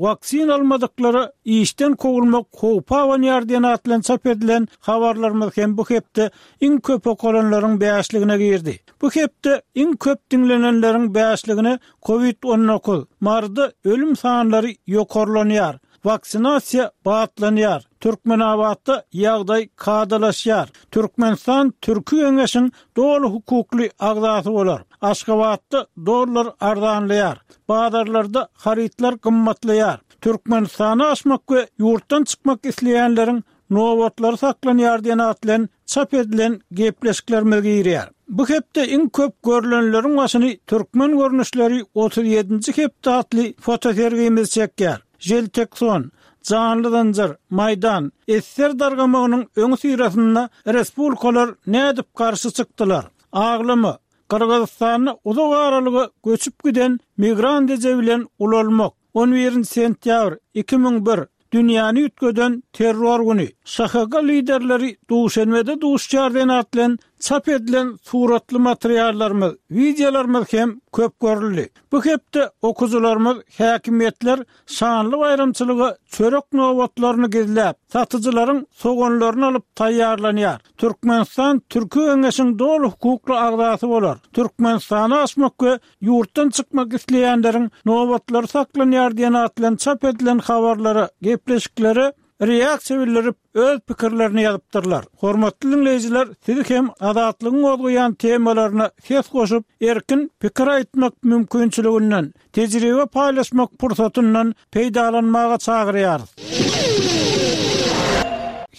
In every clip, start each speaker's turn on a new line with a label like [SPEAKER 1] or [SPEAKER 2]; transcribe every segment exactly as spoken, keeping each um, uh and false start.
[SPEAKER 1] Waksina almadyklara işden kowulmak howpy abanýar diýen at bilen çap edilen habarlarymyz hem bu hepde iň köp okalanlaryň bäşligine girdi. Bu hepde iň köp diňlenenleriň bäşligine Covid on dokuz, Maryda ölüm sanlary ýokarlanýar, waksinasiýa batlanýar, Türkmenabatda ýagdaý kadalaşýar, Türkmenistan Türki Geňeşiň doly hukukly agzasy bolar, Aşgabatda dollar arzanlaýar, bazarlarda harytlar gymmatlaýar, Türkmenistana aşmak we ýurtdan çykmak isleýänleriň nobatlary saklanýar diýen at bilen çap edilen gepleşiklerimiz girýär. Bu hepde iň köp görülenleriň başyny türkmen görnüşleri otuz ýedinji hepde atly fotosergimiz çekýär. Jeltekson, Janly Zynjyr, Maýdan, Esser dargamagynyň öňi syrasynda respublikalar nädip garşy çykdylar? Aglama, Gyrgyzystanda uzak aralyga göçüp giden migrant eje bilen ulalmak. on birinji sentýabr iki müň bir, dünýäni üýtgeden terror güni. Ş H G liderleri Duşenbede duşýar diýen at bilen çap edilen suratly materiallarymyz, wideolarymyz hem köp görüldi. Bu hepde okuwçylarymyz häkimiýetler şanly baýramçylyga çörek nobatlaryny gizläp, satyjylaryň soganlaryny alyp taýýarlanýar. Türkmenistan Türki Geňeşiň doly hukukly agzasy bolar. Türkmenistana aşmak we ýurtdan çykmak isleýänleriň nobatlary saklanýar diýen at bilen çap edilen habarlara, gepleşiklere reaksiýa bildirip öz pikirlerini ýazypdyrlar. Hormatly dinleýjiler, sizi hem Azatlygyň gozgaýan temalaryna ses goşup, erkin pikir aýtmak mümkinçiliginden, tejribe paýlaşmak pursatyndan peýdalanmaga çagyrýarys.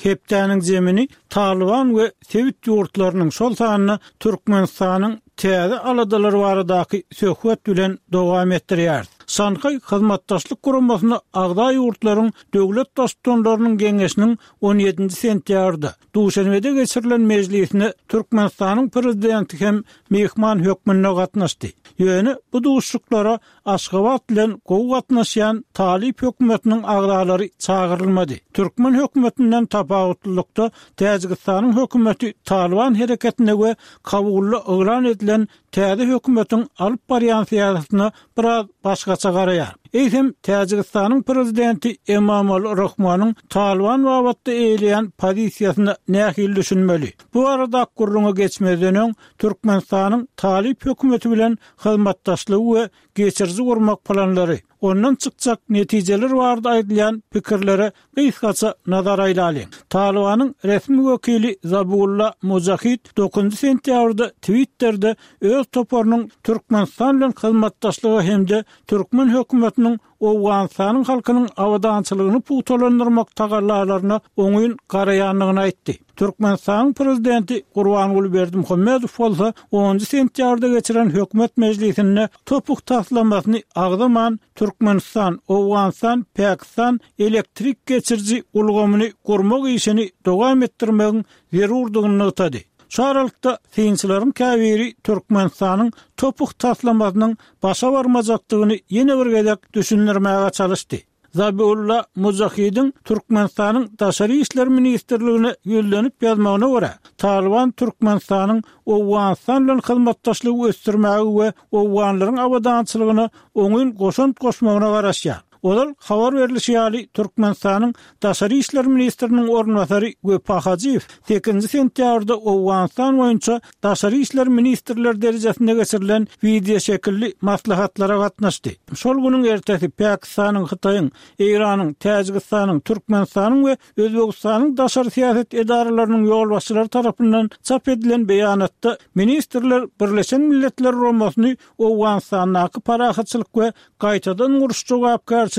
[SPEAKER 1] Hepdäniň zemini Taliban we sebit ýurtlarynyň, şol sanda Türkmenistanyň täze aladalar baradaky söhbet bilen dowam etdirýär. Şanhaý Hyzmatdaşlyk Guramasyna agza ýurtlaryň döwlet baştutanlarynyň geňeşiniň on ýedinji sentýabrda Duşenbede geçirilen mejlisine Türkmenistanyň prezidenti hem mehman hökmünde gatnaşdy. Ýöne bu duşuşyklara Aşgabat bilen gowy gatnaşýan Talip hökümetiniň agzalary çagyrylmady. Türkmen hökümetinden tapawutlylykda Täjigistanyň hökümeti Taliban hereketine we Kabulda yglan edilen täze hökümetiň alyp barýan syýasatyna biraz başgaça garaýar. Eýsem Täjigistanyň prezidenti Emomali Rahmonyň Taliban babatda eýleýän pozisiýasyna nähili düşünmeli? Bu arada gürrüňe geçmezden öň Türkmenistanyň Talip hökümeti bilen hyzmatdaşlygy we geçiriji gurmak planlary, ondan çykjak netijeler barada aýdylýan pikirlere gysgaça nazar aýlalyň. Talibanyň resmi wekili Zabulla Mujahid dokuzynjy sentýabrda Twitterде öz toparynyň Türkmenistan bilen hyzmatdaşlygy hem-de türkmen hökümetiniň Owganystanyň halkynyň abadançylygyny pugtalandyrmak tagallalaryna oňyn garaýandygyny aýtdy. Türkmenistanyň prezidenti Gurbanguly Berdimuhamedow bolsa onunjy sentýabrda geçiren hökümet mejlisinde topuk taslamasyny agzaman Türkmenistan, Owganystan, Pakistan elektrik geçiriji ulgamyny gurmak işini dowam etdirmegiň zerurdygyny nygtady. Şu aralykda synçylaryň käbiri Türkmenistanyň topuk taslamasynyň başa barmajakdygyny ýene bir gezek düşündirmäge çalyşdy. Zabiulla Mujahidiň Türkmenistanyň Daşary işler ministrligine ýüzlenip ýazmagyna görä, Taliban Türkmenistanyň Owganystan bilen hyzmatdaşlygy ösdürmäge we owganlaryň abadançylygyna oňyn goşant goşmagyna garaşýar. Ozal habar berilişi ýaly Türkmenistanyň Daşary işler ministriniň orunbasary Wepa Hajyýew sekizinji sentýabrda Owganystan boýunça Daşary işler ministrler derejesinde geçirilen wideo şekilli maslahatlara gatnaşdy. Şol günüň ertesi Pakistanyň, Hytaýyň, Eýranyň, Täjigistanyň, Türkmenistanyň we Özbegistanyň daşary syýasat edaralarynyň ýolbaşçylary tarapyndan çap edilen beýanatda ministrler Birleşen Milletler Guramasyny Owganystandaky parahatçylyk we gaýtadan guruş jogapkärçiligini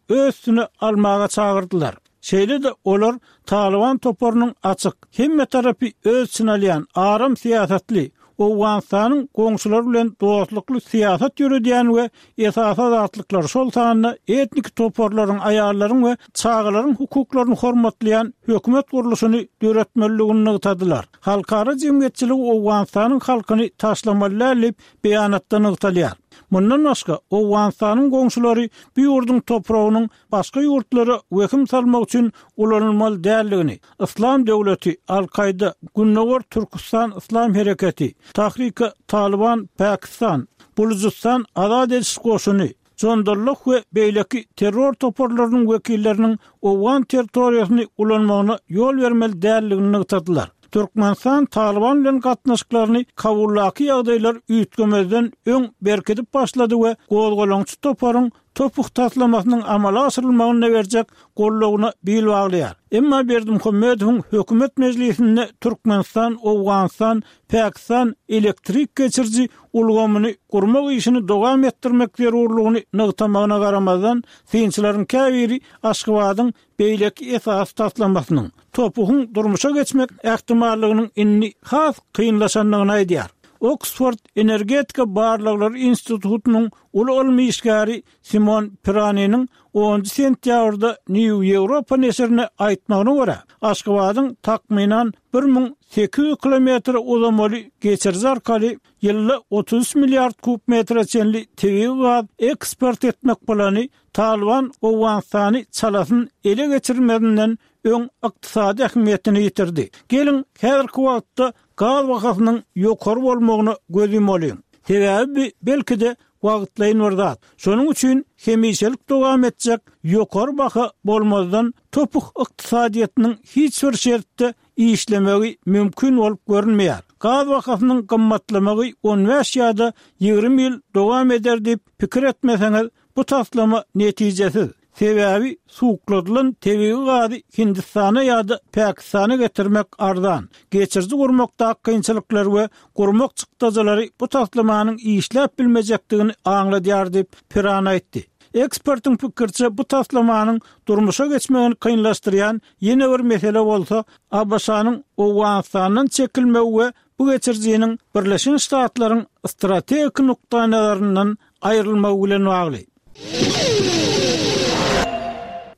[SPEAKER 1] öz üstüne almaga çagyrdylar. Şeýle-de olar Taliban toparynyň açyk, hemme tarapy öz içine alýan aram syýasatly, Owganystanyň goňşulary bilen dostlukly syýasat ýöredýän we esasy azatlyklar, şol sanda etnik toparlaryň, aýallaryň we çagalaryň hukuklaryny hormatlaýan hökümet gurluşyny döretmelidigini nygtadylar. Halkara jemgyýetçiligi Owganystanyň halkyny taşlamaly däl diýip beýanatda nygtalýar. Mundan başga Owganystanyň goňşulary bu ýurduň topragynyň başga ýurtlara wehim salmak üçin ulanylmaly däldigini, Islam döwleti, Al-Kaýda, Gündogar Türkistan Islam hereketi, Tahrika Taliban Pakistan, Bulujistan Azat ediş goşuny, Jundullah we beýleki terror toparlarynyň wekilleriniň Owgan territoriýasyny ulanmagyna ýol bermeli däldigini nygtadylar. Türkmenistan Talyban bilen gatnaşyklaryny Kabuldaky ýagdaýlar üýtgemezden öň berkidip başlady we gozgalaňçy toparyň Topuk taslamasynyň amala aşyrylmagyna berjek goldawyna bil baglaýar. Emma Berdimuhamedowyň hökümet mejlisinde Türkmenistan, Owganystan, Pakistan elektrik geçiriji ulgamyny gurmak işini dowam etdirmek zerurlygyny nygtamagyna garamazdan, synçylaryň käbiri Aşgabadyň beýleki esasy taslamasynyň, Topugyň durmuşa geçmek ähtimallygynyň indi has kynlaşandygyny aýdýar. Oksford energetika barlaglary institutynyň uly ylmy işgäri Simon Piraniniň onunjy sentýabrda New Ýewropa neşirine aýtmagyna görä, Aşgabadyň takmynan bir müň sekiz ýüz kilometr uzamaly geçiriji arkaly ýylda otuz üç milliard kub metre çenli tebigy gaz eksport etmek plany Talyban Owganystany çalasyn ele geçirmezinden öň ykdysady ähmiýetini ýitirdi. Geliň, häzirki wagtda gaz bahasynyň ýokary bolmagyna göz ýumalyň. Sebäbi belki-de wagtlaýyn bir zat. Şonuň üçin hemişelik dowam etjek ýokary baha bolmazdan topuk ykdysadyýetiniň hiç bir şertde işlemegi mümkin bolup görünmeýär. Gaz bahasynyň gymmatlamagy on bäş ýa-da ýigrimi ýyl dowam eder diýip pikir etmeseňiz, bu taslama netijesiz. Sebäbi suwukladylan tebigy gazy Hindistana ýa-da Pakistana getirmek arzan. Geçiriji gurmakdaky kynçylyklar we gurmak çykdajylary bu taslamanyň işläp bilmejekdigini aňladýar diýip, Piran aýtdy. Ekspertiň pikiriçe, bu taslamanyň durmuşa geçmegini kynlaşdyrýan ýene bir mesele bolsa, ABŞ-nyň Owganystandan çekilmegi we bu geçirijiniň Birleşen Ştatlaryň strategik nukdaýnazaryndan aýrylmagy bilen bagly.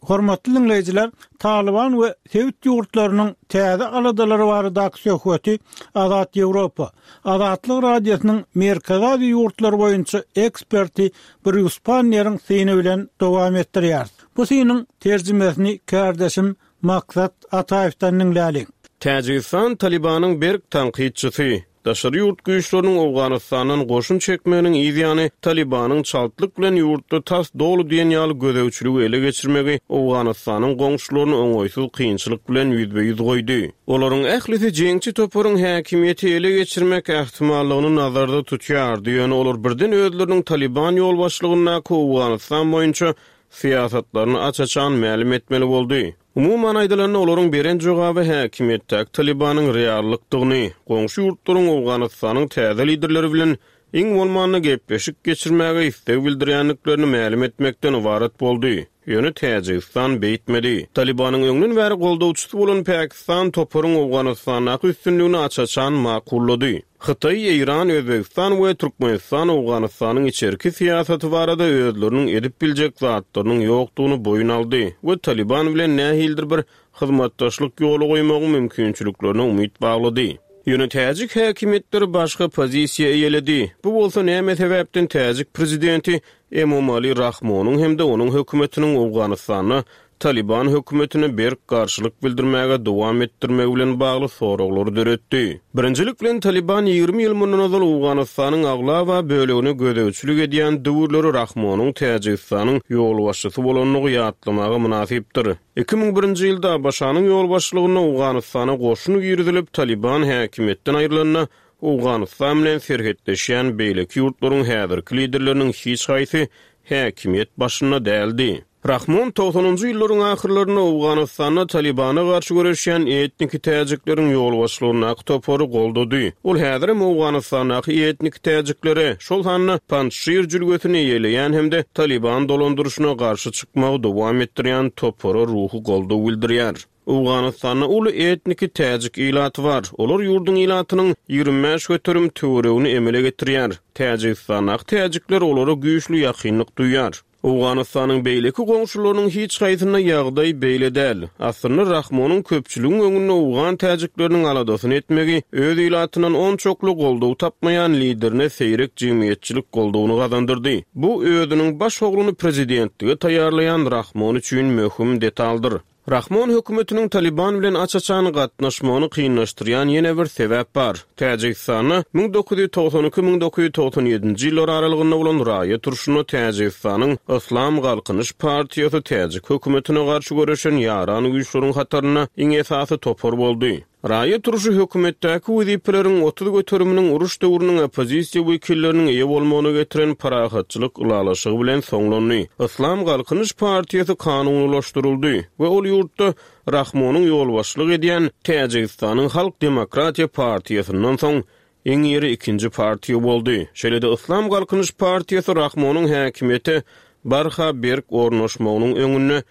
[SPEAKER 1] Hormatly diňleýjiler, Talyban we sebit ýurtlarynyň täze aladalary baradaky söhbeti Azat Ýewropa, Azatlyk Radiosynyň Merkezi Aziýa ýurtlary boýunça eksperti Brýus Panneriň syny bilen dowam etdirýäris. Bu synyň terjimesini kärdeşim Maksat Ataýewden diňläliň.
[SPEAKER 2] Täjigistan Talybanyň berk tankytçysy. Daşary ýurt güýçleriniň Owganystandan goşun çekmeginiň yz ýany Talybanyň çaltlyk bilen ýurtda tas doly diýen ýaly gözegçiligi ele geçirmegi Owganystanyň goňşularyny oňaýsyz kynçylyk bilen ýüzbe-ýüz goýdy. Olaryň ählisi jeňçi toparyň häkimiýeti ele geçirmek ähtimallygyny nazarda tutýardy, ýöne olar birden özleriniň Talyban ýolbaşçylygyndaky Owganystan boýunça syýasatlaryny aç-açan mälim etmeli boldy. Umuman aýdylanda, olaryň beren jogaby häkimiýetdäki Talybanyň reallykdygyny, goňşy ýurtlaryň Owganystanyň täze liderleri bilen iň bolmanda gepleşik geçirmäge isleg bildirýändiklerini mälim etmekden ybarat boldy. Ýöne Täjigistan beýtmedi. Talybanyň öňden bäri goldawçysy bolan Pakistan toparyň Owganystandaky üstünligini aç-açan makullady. Hytaý, Eýran, Özbegistan we Türkmenistan Owganystanyň içerki syýasaty barada özleriniň edip biljek zatlarynyň ýokdugyny boýun aldy we Talyban bilen nähilidir bir hyzmatdaşlyk ýoly goýmagyň mümkinçiliklerine umyt baglady. Ýöne täjik häkimiýetleri başga pozisiýa eýeledi. Bu bolsa näme sebäpden täjik prezidenti Emomali Rahmonyň hem-de onuň hökümetiniň Owganystanda Taliban hökümetine berk garşylyk bildirmäge dowam etdirmegi bilen bagly soraglary döretdi. Birinjilik bilen Taliban ýigrimi ýyl mundan ozal Owganystanyň aglaba bölegine gözegçilik edýän döwürleri Rahmonyň Täjigistanyň ýolbaşçysy bolandygy ýatlamaga mynasypdyr. Iki müň birinji ýylda ABŞ-nyň ýolbaşçylygynda Owganystana goşun girizilip, Taliban häkimiýetden aýrylanda Owganystan bilen serhetleşýän beýleki ýurtlaryň häzirki liderleriniň hiç haýsy häkimiýet başynda däldi. Rahmon togsanynjy ýyllaryň ahyrlarynda Owganystanda Talibana garşy göreşýän etniki täjikleriň ýolbaşçylygyndaky topary goldady. Ol häzirem Owganystandaky etniki täjiklere, şol sanda Panjşir jülgesini eýeleýän hem-de Taliban dolandyryşyna garşy çykmagy dowam etdirýän topara ruhy goldaw bildirýär. Owganystanda uly etniki täjik ilaty bar. Olar ýurduň ilatynyň ýigrimi bäş göterim töweregini emele getirýär. Täjigistandaky täjikler olara güýçli ýakynlyk duýýar. Owganystanyň beýleki goňşularynyň hiç haýsynda ýagdaý beýle däl. Aslynda Rahmonyň köpçüligiň öňünde owgan täjikleriniň aladasyny etmegi öz ilatyndan onçakly goldaw tapmaýan liderine seýrek jemgyýetçilik goldawyny gazandyrdy. Bu özüniň baş ogluny prezidentlige taýýarlaýan Rahmon üçin möhüm detaldyr. Rahmon hökümetiniň Taliban bilen aç-açan gatnaşmagyny kynlaşdyrýan ýene bir sebäp bar. Täjigistanda müň dokuz ýüz togsan iki müň dokuz ýüz togsan ýedinji ýyllar aralygynda bolan raýat urşunda Täjigistanyň Yslam Galkynyş partiýasy täjik hökümetine garşy göreşen ýaran güýçleriň hatarynda iň esasy topar boldy. Raýat urşy hökümetdäki wezipeleriň otuz göteriminiň uruş döwrüniň oppozisiýa wekilleriniň eýe bolmagyna getiren parahatçylyk ylalaşygy bilen soňlandy. Yslam Galkynyş partiýasy kanunylaşdyryldy we ol ýurtda Rahmonyň ýolbaşçylyk edýän Täjigistanyň Halk Demokratiýa partiýasyndan soň iň iri ikinji partiýa boldy. Şeýle-de Yslam Galkynyş partiýasy Rahmonyň häkimiýete barha berk ornaşmagynyň öňünde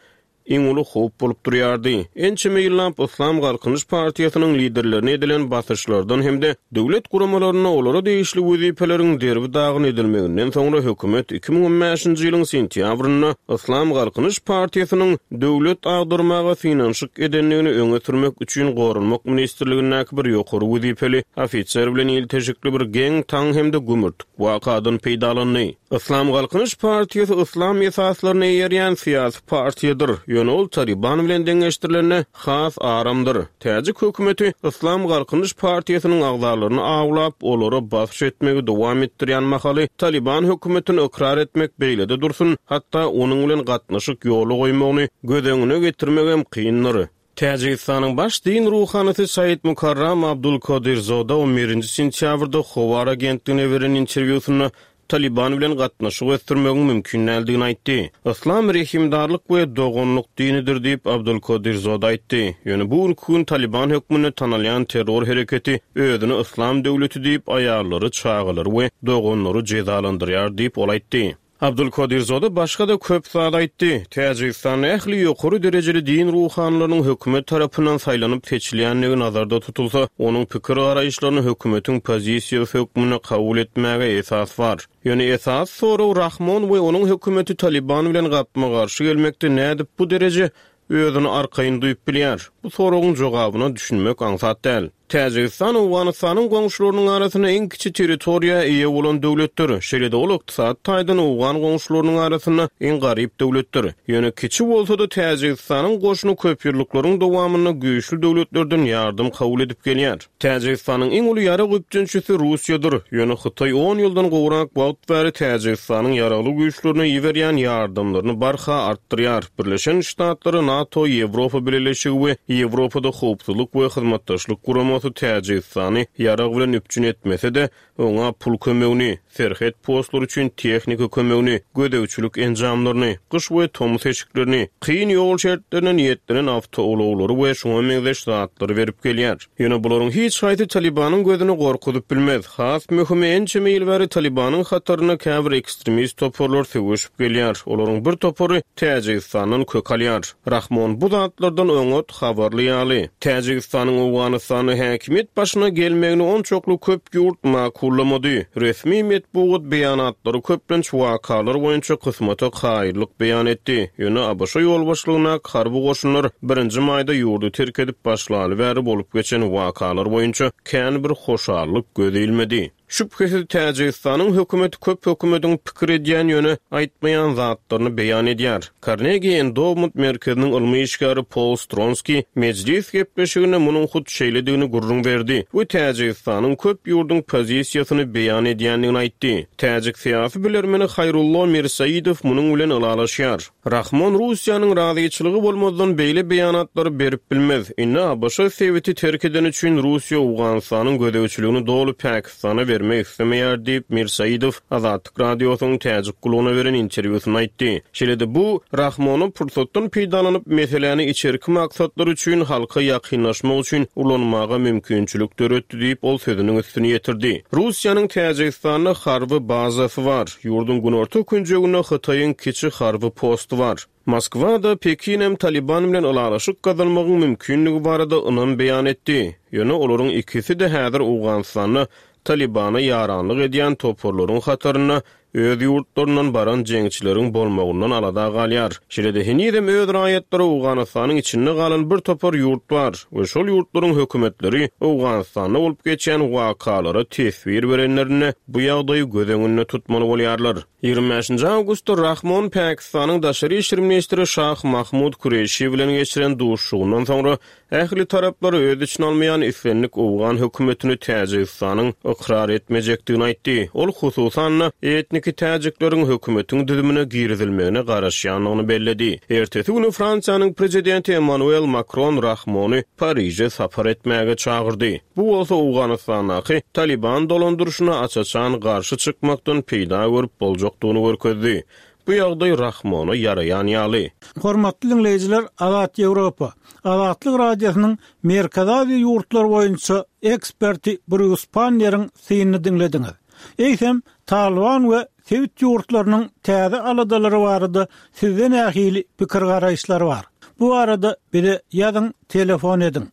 [SPEAKER 2] iň uly howp bolup durýardy. Ençeme ýyllap Yslam Galkynyş partiýasynyň liderlerine edilen basyşlardan hem-de döwlet guramalaryna olara degişli wezipeleriň derbi dagyn edilmeginden soňra hökümet iki müň on bäşinji ýylyň sentýabrynda Yslam Galkynyş partiýasynyň döwlet agdarmaga synanyşyk edendigini öňe sürmek üçin Goranmak ministrligindäki bir ýokary wezipeli ofiser bilen ilteşikli bir geň taň hem-de gümürtik wakadan peýdalandy. Yslam Galkynyş partiýasy yslam esaslaryny eýerýän syýasy partiýadyr. Ýöne ol Taliban bilen deňeşdirilende has aramdyr. Täjik hökümeti Yslam Galkynyş partiýasynyň agzalaryny awlap, olara basyş etmegi dowam etdirýän mahaly Taliban hökümetini ykrar etmek beýlede dursun, hatda onuň bilen gatnaşyk ýoly goýmagyny göz öňüne getirmek hem kyndyr. Täjigistanyň baş din ruhanysy Said Mukarram Abdulkodirzoda on birinji sentýabrda Howar agentligine beren interwýusynda Taliban bilen gatnaşyk ösdürmegiň mümkin däldigini aýtdy. Yslam rehimdarlyk we doganlyk dinidir diýip Abdulkodirzoda aýtdy. Ýöne bu gün Taliban hökmünde tanalýan terror hereketi özüni Yslam döwleti diýip aýallary, çagalary we doganlary jezalandyrýar diýip ol aýtdy. Abdulkodirzoda başga da köp zat aýtdy. Täjigistanda ähli ýokary derejeli din ruhanylarynyň hökümet tarapyndan saýlanyp seçilýändigi nazarda tutulsa, onuň pikir garaýyşlaryny hökümetiň pozisiýasy hökmünde kabul etmäge esas bar. Ýöne esas sorag Rahmon we onuň hökümeti Taliban bilen gapma-garşy gelmekde nädip bu dereje özüni arkaýyn duýup bilýär. Bu soragyň jogabyna düşünmek aňsat däl. Täjigistan Owganystanyň goňşularynyň arasynda iň kiçi territoriýa eýe bolan döwletdir. Şeýle-de ol ykdysady taýdan owgan goňşularynyň arasynda iň garyp döwletdir. Ýöne kiçi bolsa-da Täjigistanyň goşuny köp ýyllyklaryň dowamynda güýçli döwletlerden ýardam kabul edip gelýär. Täjigistanyň iň uly ýarag üpjünçisi Russiýadyr. Ýöne Hytaý on ýyldan gowrak wagt bäri Täjigistanyň ýaragly güýçlerine iberýän ýardamlaryny barha artdyrýar. Birleşen Ştatlary, NATO, Ýewropa Bileleşigi we Ýewropada howpsuzlyk we hyzmatdaşlyk guramasy Täjigistany ýarag bilen üpjün etmese-de, oňa pul kömegini, serhet postlary üçin tehnika kömegini, gözegçilik enjamlaryny, gyş we tomus eşiklerini, kyn ýol şertlerine niýetlenen awtoulaglary we şoňa meňzeş zatlary berip gelýär. Ýöne bularyň hiç haýsy Talibanyň gözüni gorkuzyp bilmez. Has möhümi ençeme ýyl bäri Talibanyň hatarynda käbir ekstremist toparlar söweşip gelýär. Olaryň bir topary Täjigistandan kök alýar. Rahmon bu zatlardan oňat habarly ýaly. Täjigistanyň Owganystanda häkimiýet başyna gelmegini onçakly köp ýurt makullamady. Resmi metbugat beýanatlary köplenç wakalar boýunça kysmata kaýyllyk beýan etdi. Ýöne ABŞ ýolbaşçylygyndaky harby goşunlar birinji maýda ýurdy terk edip başlaly bäri bolup geçen wakalar boýunça kän bir hoşallyk göz ilmedi. Şübhesiz Täjigistanyň hökümeti köp hökümetiň pikir edýän ýöne aýtmaýan zatlaryny beýan edýär. Carnegie Endowment merkeziniň ylmy işgäri Paul Stronski mejlis gepleşiginde munuň hut şeýledigini gürrüň berdi we Täjigistanyň köp ýurduň pozisiýasyny beýan edýändigini aýtdy. Täjik syýasy bilermeni Hayrullo Mirsaidow munuň bilen ylalaşýar. Rahmon Russiýanyň razyçylygy bolmazdan beýle beýanatlary berip bilmez. Indi ABŞ sebiti terk eden üçin Russiýa Owganystanyň gözegçiligini doly Pakistana bermek islemeýär diýip Mirsaidow Azatlyk radiosynyň Täjik guluna beren interwýusynda aýtdy. Şeýle-de bu Rahmony pursatdan peýdalanyp meseläni içerki maksatlar üçin halka ýakynlaşmak üçin ulanmaga mümkinçilik döretdi diýip ol sözüniň üstüni ýetirdi. Russiýanyň Täjigistanda harby bazasy bar. Ýurduň günorta künjeginde Hytaýyň kiçi harby posty bar. Moskwada Pekinem Taliban bilen ylalaşyk gazanmagyň mümkinligi barada ynam beýan etdi. Ýöne olaryň ikisi-de häzir Owganystanda Talibana ýaranlyk edýän toparlaryň hatarynda öz ýurtlaryndan baran jeňçileriň bolmagyndan alada galýar. Şeýle-de henizem öz raýatlary Owganystanyň içinde galan bir topar ýurt bar we şol ýurtlaryň hökümetleri Owganystanda bolup geçen wakalara teswir berenlerinde bu ýagdaýy göz öňünde tutmaly bolýarlar. Ýigrimi bäşinji awgustda Rahmon Pakistanyň daşary işler ministri Şah Mahmud Kureşi bilen geçiren duşuşygyndan soňra ähli taraplary öz içine almaýan islendik Owgan hökümetini Täjigistanyň ykrar etmejekdigini aýtdy. Ol hususan-da etniki täjikleriň hökümetiň düzümine girizilmegine garaşýandygyny belledi. Ertesi güni Fransiýanyň prezidenti Emmanuel Makron Rahmony Pariže sapar etmäge çagyrdy. Bu bolsa Owganystandaky Taliban dolandyryşyna aç-açan garşy çykmakdan peýda görüp boljakdygyny görkezdi. Bu ýagdaý Rahmona ýaraýan ýaly.
[SPEAKER 1] Hormatly dinleýjiler, Azat Ýewropa, Azatlyk Radiosynyň Merkezi Aziýa ýurtlary boýunça eksperti Brýus Panneriň synyny diňlediňiz. Eýsem, Taliban we sebit ýurtlarynyň täze aladalary barada sizde nähili pikir garaýyşlar bar? Bu arada bize ýazyň, telefon ediň.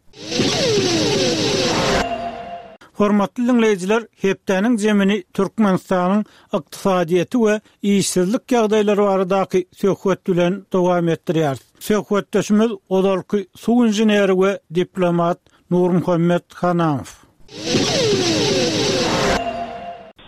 [SPEAKER 1] Hormatly dinleýjiler, hepdäniň zemini Türkmenistanyň ykdysadyýeti we işsizlik ýagdaýlary baradaky söhbet bilen dowam etdirýär. Söhbetdeşimiz ozalky suw inženeri we diplomat Nurmuhammet Hanamow.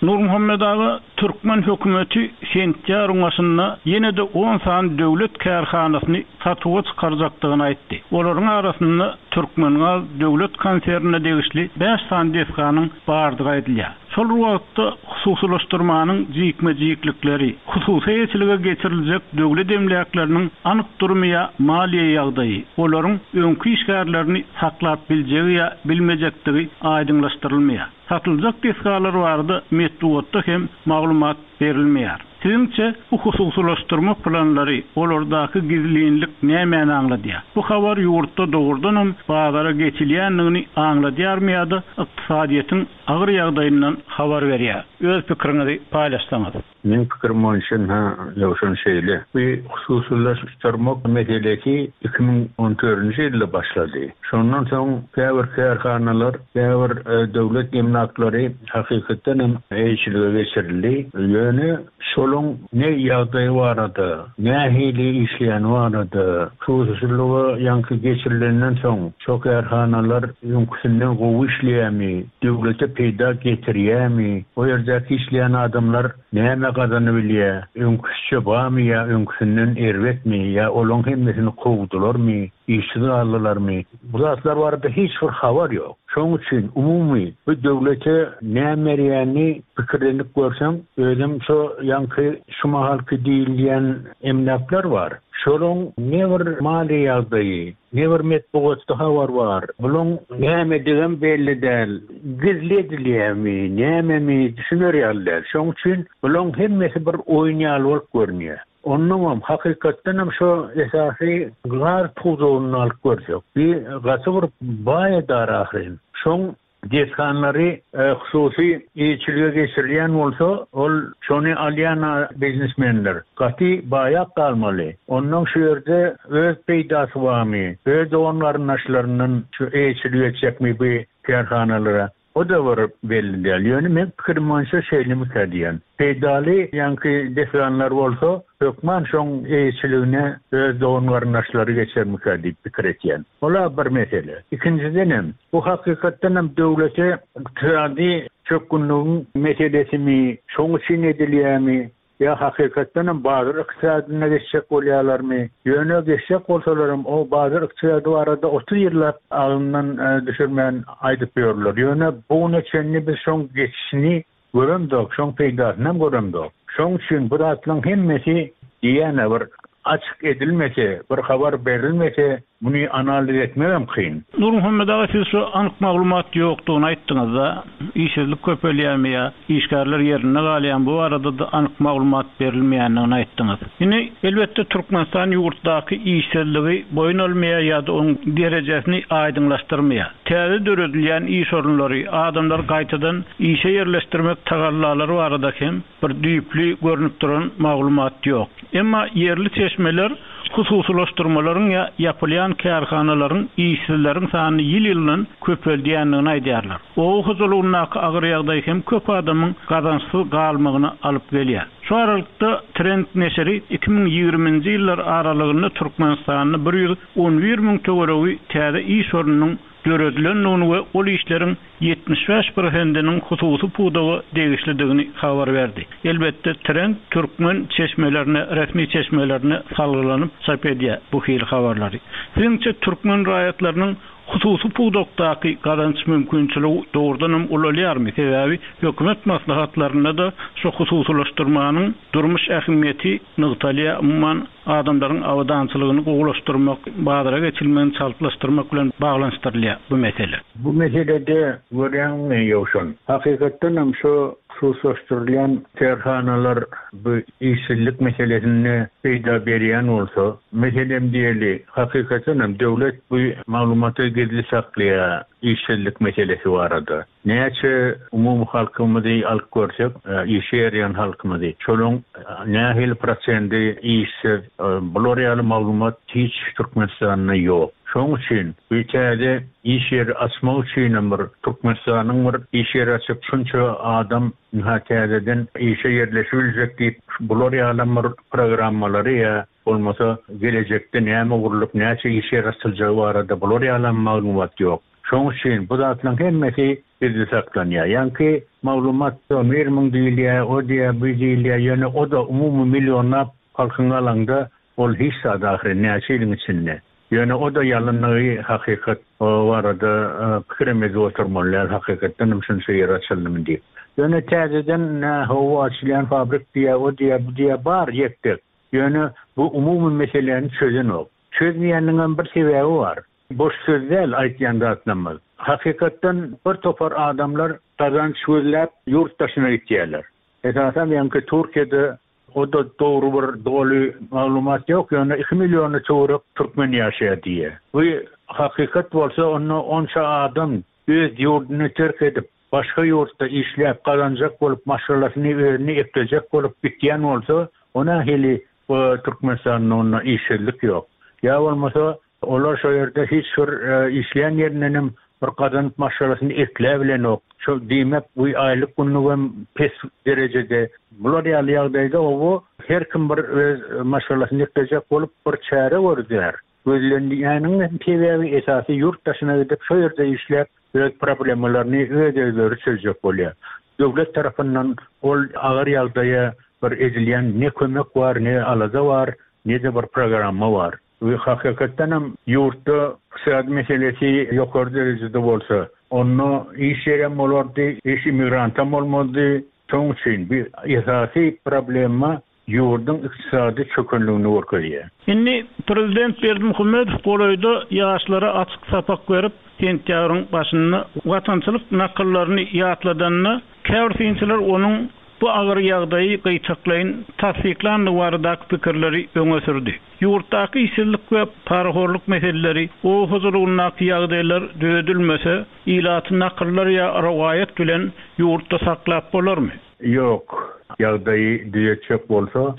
[SPEAKER 1] Nurmuhammet aga, Türkmen hökümeti sentýabryň başynda ýene-de on sany döwlet kärhanasyny satuwa çykarjakdygyny aýtdy. Olaryň arasynda Türkmengaz döwlet konsernine degişli bäş sany desganyň bardygy aýdylýar. Şol wagtda hususylaşdyrmanyň jikme-jiklikleri, hususy eýeçilige geçiriljek döwlet emläkleriniň anyk durumy ýa maliýe ýagdaýy, olaryň öňki işgärlerini saklap biljegi ýa bilmejekdigi aýdyňlaşdyrylmaýar. Satyljak desgalar barada metbugatda hem maglumat berilmeýär. Siziňçe bu hususylaşdyrma planlary, olardaky gizlinlik nämäni aňladýar? Bu habar ýurtda dogrudanam bazara geçilýändigini aňladýarmy ýa-da ykdysadyýetiň agyr ýagdaýyndan habar berýär? Öz pikiriňizi paýlaşsaňyz.
[SPEAKER 3] Meň pikirim boýunça, ha, ýowşan şeýle. Bu hususylaşdyrmak meselesi iki müň on dördünji ýylda başlady. Şondan soň käbir kärhanalar, käbir, e, döwlet emlaklary hakykatdan hem eýeçilige geçirildi. Ýöne şoluň ne ýagdaýy barada, nähili işleýän barada, hususylyga ýaňky geçirilenden soň şo kärhanalar öňküsinden gowy işleýärmi, döwlete peýda getirýärmi, o ýerdäki işleýän adamlar näme gazanyp bilýär, öňküsçe barmy ýa öňküsinden erbetmi ýa olaň hemmesini kowdularmy, işsiz galdylarmy? Bu zatlar barada hiç bir habar ýok. Şonuň üçin umumy bu döwlete näme berýänini pikirlenip görseň, özüm şo ýaňky şu mahalky diýilýän emläkler bar. Şonuň ne bir maliýe ýagdaýy, ne bir metbugatda habar bar. Bunuň nämedigem belli däl. Gizli edilýärmi, nämemi düşüner ýaly däl. Şonuň üçin bunuň hemmesi bir oýun ýaly bolup görünýär. Ondan hem hakykatdan hem şo esasy gaz pudagyny alyp görsek, bir gaty bir baý edar ahyryn. Şoň desganlary, e, hususy eýeçilige geçirilýän bolsa, ol şony alýan biznesmenler gaty baýak galmaly. Ondan şu ýerde öz peýdasy barmy, öz dogan-garyndaşlaryndan şu eýeçilik etjekmi bu kärhanalara? O da bir belli däl. Ýöne men pikirim boýunça şeýle diýen. Peýdaly ýaňky desganlar bolsa, hökman şoň eýeçiligine öz dogan-garyndaşlary geçermikä diýip pikir etýän. Ola bir mesele. Ikinjiden hem bu hakykatdan hem döwlete ykdysady çökgünligiň meselesimi, şoň üçin edilýärmi? Ýa hakykatdan hem bazar ykdysadyna geçjek bolýarlarmy? Ýöne geçjek bolsalar hem o bazar ykdysady barada otuz ýyllap agzyndan, e, düşürmän aýdyp ýörler. Ýöne bu güne çenli biz şoň geçişini göremdok, şoň peýdasyny hem göremdok. Şoň üçin bu zatlaryň hemmesi diýene bir açyk edilmese, bir habar berilmese, muny analiz etmek hem kyn.
[SPEAKER 1] Nurmuhammet aga, siz şu anyk maglumat ýokdugyny aýtdyňyz-da, işsizlik köpelýärmi ýa işgärler ýerinde galýan, bu barada da anyk maglumat berilmeýändigini aýtdyňyz. Indi elbetde Türkmenistan ýurtdaky işsizligi boýun almaýar ýa-da onuň derejesini aýdyňlaşdyrmaýar. Täze döredilýän iş orunlary, adamlar gaýtadan işe ýerleşdirmek tagallalary barada hem bir düýpli görünip duran maglumat ýok. Emma ýerli çeşmeler Hususylaşdyrmalaryň ýa ýapylýan kärhanalaryň işsizleriň sanyny ýyl-ýyldan köpeldýändigini aýdýarlar. Oba hojalygyndaky agyr ýagdaý hem köp adamyň gazançsyz galmagyna alyp gelýär. Şu aralykda Trend neşiri iki müň ýigriminji ýyllar aralygynda Türkmenistanda bir ýüz on bir müň töweregi täze iş ornunyň döredilendigini we ol işleriň ýetmiş bäş prosentiniň hususy pudaga degişlidigini habar berdi. Elbetde Trend türkmen çeşmelerine, resmi çeşmelerine salgylanyp çap edýär bu hil habarlary. Siziňçe türkmen raýatlarynyň hususy pudakdaky gazanç mümkinçiligi dogrudanam ulalýarmy? Sebäbi hökümet maslahatlarynda da şu hususylaşdyrmanyň durmuş ähmiýeti nygtalýar, umuman adamlaryň abadançylygyny gowulaşdyrmak, bazara geçilmegini çaltlaşdyrmak bilen baglanyşdyrylýar bu mesele.
[SPEAKER 3] Bu meselede görýäňmi Ýowşan? Hakykatdan hem şu hususlaşdyrylýan kärhanalar bu işsizlik meselesinde peýda berýän bolsa, meselem diýeli, hakykatdan hem döwlet bu maglumaty gizli saklaýar işsizlik meselesi barada. Näçe umumy halkymyzy alyp görsek, e, işe ýaraýan halkymyzy, şonuň, e, nähili prosendi işsiz, e, bular ýaly maglumat hiç Türkmenistanda ýok. Şonuň üçin bu täze iş ýeri açmak üçin hem bir Türkmenistanyň bir iş ýeri açyp şunça adam ha täzeden işe ýerleşibiljek diýip bular ýaly bir programmalary ýa bolmasa gelejekde näme gurlup näçe iş ýeri açyljagy barada bular ýaly maglumat ýok. Şonuň üçin bu zatlaryň hemmesi gizli saklanýar. Ýaňky maglumat on bir müň diýilýär, o diýýär, bu diýilýär, ýöne o da umumy millionlap halkyň alanda ol hiç zat ahyry näçe ýylyň içinde. Ýöne o da ýalynlygy hakykat o barada, e, pikir edip oturmalylar, hakykatdan hem şunça ýer açyldymy diýip. Ýöne täzeden, e, howa açylýan fabrik diýýär, o diýýär, bu diýýär, bar ýetdik. Ýöne bu umumy meseläni çözenok. Çözmeýäniniň hem bir sebäbi bar. Boş söz däl aýtýan zatlarymyz. Hakykatdan bir topar adamlar gazanç gözläp ýurt daşyna gitýärler. Esasan ýaňky Türkiýede o da dogry bir doly maglumat ýok, ýöne iki milliony töwerek türkmen ýaşaýar diýýär. Bu hakykat bolsa onda onça adam öz ýurduny terk edip başga ýurtda işläp gazanjak bolup maşgalasyny özüni eklejek bolup gitýän bolsa, ona heli bu Türkmenistanda onda işsizlik ýok. Ýa bolmasa olar şo ýerde hiç bir, e, işleýän ýerinden hem bir gazanyp maşgalasyny ekläp bilenok. Şo diýmek bu aýlyk günlügem pes derejede. Bular ýaly ýagdaýda o her kim bir öz maşgalasyny eklejek bolup bir çäre görýär. Gözlenýäniň sebäbi esasy ýurt daşyna gidip şo ýerde işläp öz problemalaryny öz özleri çözjek bolýar. Döwlet tarapyndan ol agyr ýagdaýa bir edilýän ne kömek bar, ne alada bar, ne de bir programma bar. We hakykatdan hem ýurtda ykdysady meselesi ýokary derejede bolsa, onda iş ýerem bolardy, iş immigrantam bolmazdy. Şonuň üçin bir esasy problema ýurduň ykdysady çökgünligini görkezýär.
[SPEAKER 1] Indi Prezident Berdimuhamedow golaýda ýaşlara açyk sapak berip, sentýabryň başynda watançylyk nakyllaryny ýatladanda, käbir synçylar onuň bu agyr ýagdaýy gyýtaklaýyn tassyklandygy baradaky pikirleri öňe sürdi. Ýurtdaky işsizlik we parahorluk meseleleri, oba hojalygyndaky ýagdaýlar düzedilmese, ilaty nakyllar ýa rowaýat bilen ýurtda saklap bolarmy?
[SPEAKER 3] Ýok, ýagdaýy düzetjek bolsa,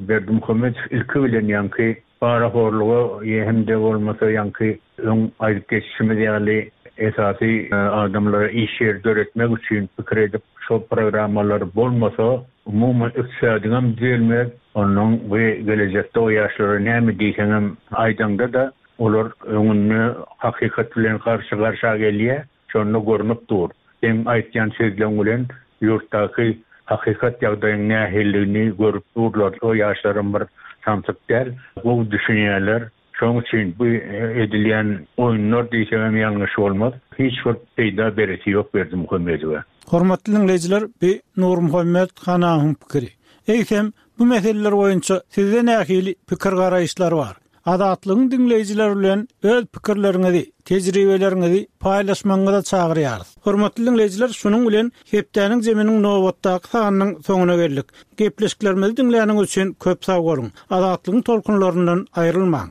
[SPEAKER 3] Berdimuhamedow ilki bilen ýaňky parahorluga hem-de bolmasa ýaňky öň aýdyp geçişimiz ýaly esasy, e, adamlara iş ýeri döretmek üçin pikir edip şol programmalar bolmasa, umuman ykdysadyňam düzelmez. Ondan bu gelejekde o ýaşlara näme diýseňem aýdaňda da olar öňünde hakykat bilen garşy garşa gelýär. Şonda görünip dur. Seň aýtýan sözleň bilen ýurtdaky hakykat ýagdaýyň nähililigini görüp durlar. O ýaşlaryň bir samsyk däl, gowy düşünýärler. Şonuň üçin bu edilýän oýunlar diýsem ýalňyş bolmaz. Hiç bir peýda beresi ýok Berdimuhamedowa.
[SPEAKER 1] Hormatly dinleýjiler, bu Nurmuhammet Hanawyň pikiri. Eýsem, bu meseleler boýunça sizde nähili pikir garaýyşlar bar? Azatlygyň dinleýjileri bilen öz pikirleriňizi, tejribeleriňizi paýlaşmagyňyza çagyrýarys. Hormatly dinleýjiler, şunuň bilen hepdäniň zeminiň nobatdaky sanynyň soňuna geldik. Gepleşiklerimizi diňläniňiz üçin köp sag boluň. Azatlygyň tolkunlaryndan aýrylmaň.